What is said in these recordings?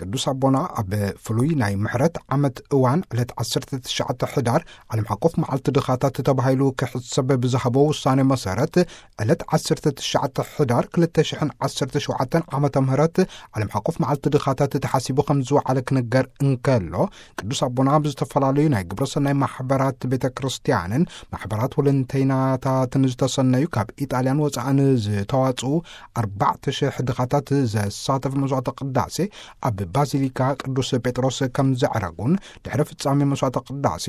ቅዱስ ኣቦና ኣብ ፍሉይ ናይ ምሕረት ዓመት እዋን ዕለት ዓሰርተ ትሽዓተ ሕዳር ዓለም ሓቆፍ መዓልቲ ድኻታት ተባሂሉ ክሕሰብ ብዝሃቦ ውሳኔ መሰረት ዕለት ዓሰርተ ትሽዓተ ሕዳር ክልተ ሽሕን ዓሰርተ ሸውዓተን ዓመተ ምህረት ዓለም ሓቆፍ መዓልቲ ድኻታት ተሓሲቡ ከም ዝወዓለ ክንገር እንከሎ፣ ቅዱስ ኣቦና ኣብ ዝተፈላለዩ ናይ ግብረ ሰናይ ማሕበራት ቤተ ክርስቲያንን ማሕበራት ወለንተይናታትን ዝተሰነዩ ካብ ኢጣልያን ወፃእን ዝተዋፅኡ ኣርባዕተ ሽሕ ድኻታት ዘሳተፍ መስዋዕተ ቅዳሴ ኣብ ባዚሊካ ቅዱስ ጴጥሮስ ከም ዘዕረጉን፣ ድሕሪ ፍጻሜ መስዋዕተ ቅዳሴ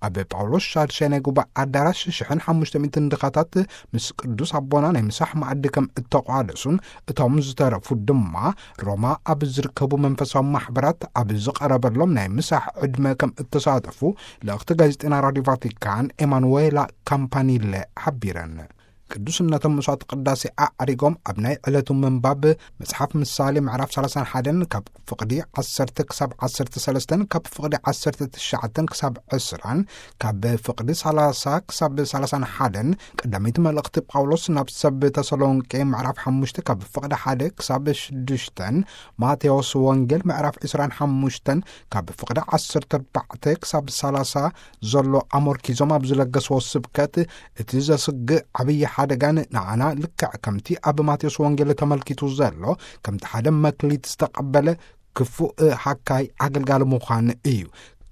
ኣብ ጳውሎስ ሻድሻይ ናይ ጉባኤ ኣዳራሽ ሽሕን ሓሙሽተ ሚእትን ድኻታት ምስ ቅዱስ ኣቦና ናይ ምሳሕ መኣዲ ከም እተቋደሱን፣ እቶም ዝተረፉ ድማ ሮማ ኣብ ዝርከቡ መንፈሳዊ ማሕበራት ኣብ ዝቐረበሎም ናይ ምሳሕ ዕድመ ከም እተሳተፉ ልእኽቲ ጋዜጠና ራዲዮ ቫቲካን ኤማኑዌላ ካምፓኒለ ሓቢረን። ቅዱስነቶም መስዋዕቲ ቅዳሴ ኣዕሪጎም ኣብ ናይ ዕለቱ ምንባብ መጽሓፍ ምሳሌ ምዕራፍ ሰላሳን ሓደን ካብ ፍቕዲ ዓሰርተ ክሳብ ዓሰርተ ሰለስተን፣ ካብ ፍቕዲ ዓሰርተ ትሽዓተን ክሳብ ዕስራን፣ ካብ ፍቕዲ ሰላሳ ክሳብ ሰላሳን ሓደን፣ ቀዳመይቲ መልእኽቲ ጳውሎስ ናብ ሰብ ተሰሎንቄ ምዕራፍ ሓሙሽተ ካብ ፍቕዲ ሓደ ክሳብ ሽዱሽተን፣ ማቴዎስ ወንጌል ምዕራፍ ዕስራን ሓሙሽተን ካብ ፍቕዲ ዓሰርተ ኣርባዕተ ክሳብ ሰላሳ ዘሎ ኣመርኪዞም ኣብ ዝለገስዎ ስብከት፣ እቲ ዘስግእ ዓብዪ ሓደጋን ንዓና ልክዕ ከምቲ ኣብ ማቴዎስ ወንጌል ተመልኪቱ ዘሎ ከምቲ ሓደ መክሊት ዝተቐበለ ክፉእ ሃካይ ኣገልጋሊ ምዃን እዩ።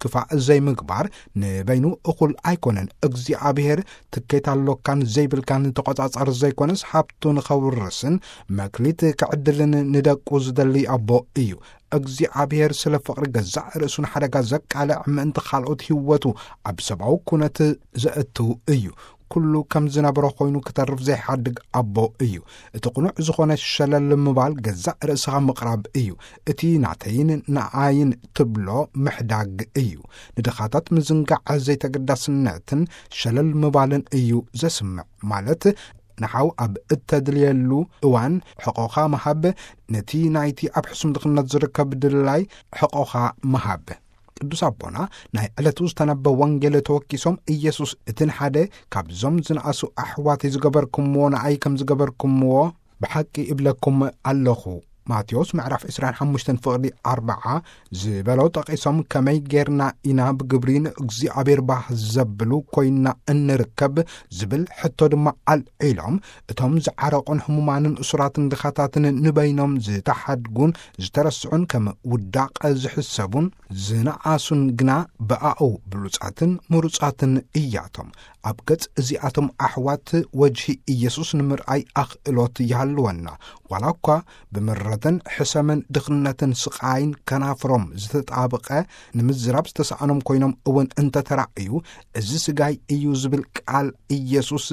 ክፋእ ዘይምግባር ንበይኑ እኹል ኣይኮነን። እግዚኣብሔር ትኬት ኣሎካን ዘይብልካን ተቖጻጸር ዘይኮነስ፣ ሃብቱ ንኸውርስን መክሊት ክዕድልን ንደቁ ዝደሊ ኣቦ እዩ። እግዚኣብሔር ስለ ፍቕሪ ገዛእ ርእሱን ሓደጋ ዘቃልዕ ምእንቲ ካልኦት ህይወቱ ኣብ ሰብኣዊ ኩነት ዘእትው እዩ። ኩሉ ከም ዝነበረ ኮይኑ ክተርፍ ዘይሓድግ ኣቦ እዩ። እቲ ቅኑዕ ዝኾነ ሸለል ምባል ገዛእ ርእስኻ ምቕራብ እዩ። እቲ ናተይን ንኣይን ትብሎ ምሕዳግ እዩ። ንድኻታት ምዝንጋዕ ዘይተገዳስነትን ሸለል ምባልን እዩ ዘስምዕ። ማለት ንሓው ኣብ እተድልየሉ እዋን ሕቖኻ ምሃብ፣ ነቲ ናይቲ ኣብ ሕሱም ድኽነት ዝርከብ ድላይ ሕቖኻ ምሃብ። ቅዱስ ኣቦና ናይ ዕለቱ ዝተነበ ወንጌል ተወኪሶም፣ ኢየሱስ እቲ ንሓደ ካብዞም ዝነኣሱ ኣሕዋተይ ዝገበርኩምዎ ንኣይ ከም ዝገበርኩምዎ ብሓቂ እብለኩም ኣለኹ። ማቴዎስ ምዕራፍ ዕስራን ሓሙሽተን ፍቕዲ ኣርብዓ ዝበሎ ጠቒሶም፣ ከመይ ጌርና ኢና ብግብሪ ንእግዚኣብሔር ባህ ዘብሉ ኮይንና እንርከብ ዝብል ሕቶ ድማ ኣልዒሎም፣ እቶም ዝዓረቑን ህሙማንን እሱራትን ድኻታትን ንበይኖም ዝተሓድጉን ዝተረስዑን ከም ውዳቐ ዝሕሰቡን ዝነኣሱን ግና ብኣኡ ብሉጻትን ምሩጻትን እያቶም። ኣብ ገጽ እዚኣቶም ኣሕዋት ወጅሂ ኢየሱስ ንምርኣይ ኣኽእሎት ይሃልወና። ዋላ እኳ ብምረትን ሕሰምን ድኽነትን ስቓይን ከናፍሮም ዝተጣብቐ ንምዝራብ ዝተሰኣኖም ኮይኖም እውን እንተተራእዩ፣ እዚ ስጋይ እዩ ዝብል ቃል ኢየሱስ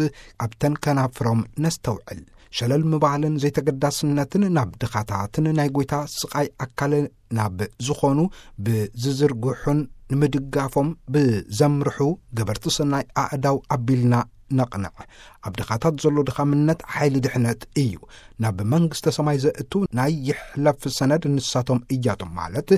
ኣብተን ከናፍሮም ነስተውዕል። ሸለል ምባልን ዘይተገዳስነትን ናብ ድኻታትን ናይ ጐይታ ስቓይ ኣካል ናብ ዝኾኑ ብዝዝርግሑን ንምድጋፎም ብዘምርሑ ገበርቲ ሰናይ ኣእዳው ኣቢልና ነቕንዕ። ኣብ ድኻታት ዘሎ ድኻምነት ሓይሊ ድሕነት እዩ። ናብ መንግስተ ሰማይ ዘእቱ ናይ ይሕለፍ ሰነድ ንሳቶም እያቶም፣ ማለት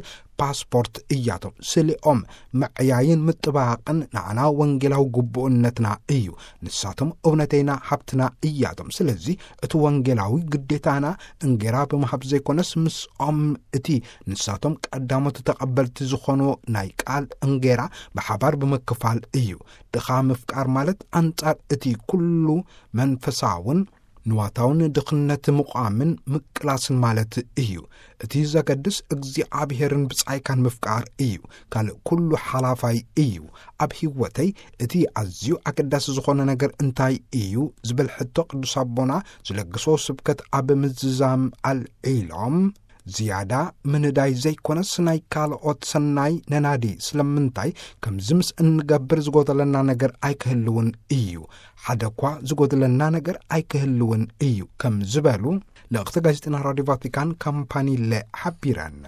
ፓስፖርት እያቶም። ስሊኦም ምዕያይን ምጥባቕን ንዓና ወንጌላዊ ግቡእነትና እዩ። ንሳቶም እውነተይና ሃብትና እያቶም። ስለዚ እቲ ወንጌላዊ ግዴታና እንጌራ ብምሃብ ዘይኮነስ፣ ምስኦም እቲ ንሳቶም ቀዳሞት ተቐበልቲ ዝኾኑ ናይ ቃል እንጌራ ብሓባር ብምክፋል እዩ። ድኻ ምፍቃር ማለት ኣንጻር እቲ ኩሉ መንፈሳውን ንዋታውን ድኽነት ምቋምን ምቅላስን ማለት እዩ። እቲ ዘገድስ እግዚኣብሔርን ብጻይካን ምፍቃር እዩ። ካልእ ኩሉ ሓላፋይ እዩ። ኣብ ህይወተይ እቲ ኣዝዩ ኣገዳሲ ዝኾነ ነገር እንታይ እዩ ዝብል ሕቶ ቅዱስ ኣቦና ዝለግሶ ስብከት ኣብ ምዝዛም ኣልዒሎም፣ ዝያዳ ምንዳይ ዘይኮነስ ናይ ካልኦት ሰናይ ነናዲ። ስለምንታይ ከምዚ ምስ እንገብር ዝጎደለና ነገር ኣይክህልውን እዩ። ሓደ እኳ ዝጎደለና ነገር ኣይክህልውን እዩ ከም ዝበሉ ልእኽቲ ጋዜጠና ራዲዮ ቫቲካን ካምፓኒለ ሓቢረን።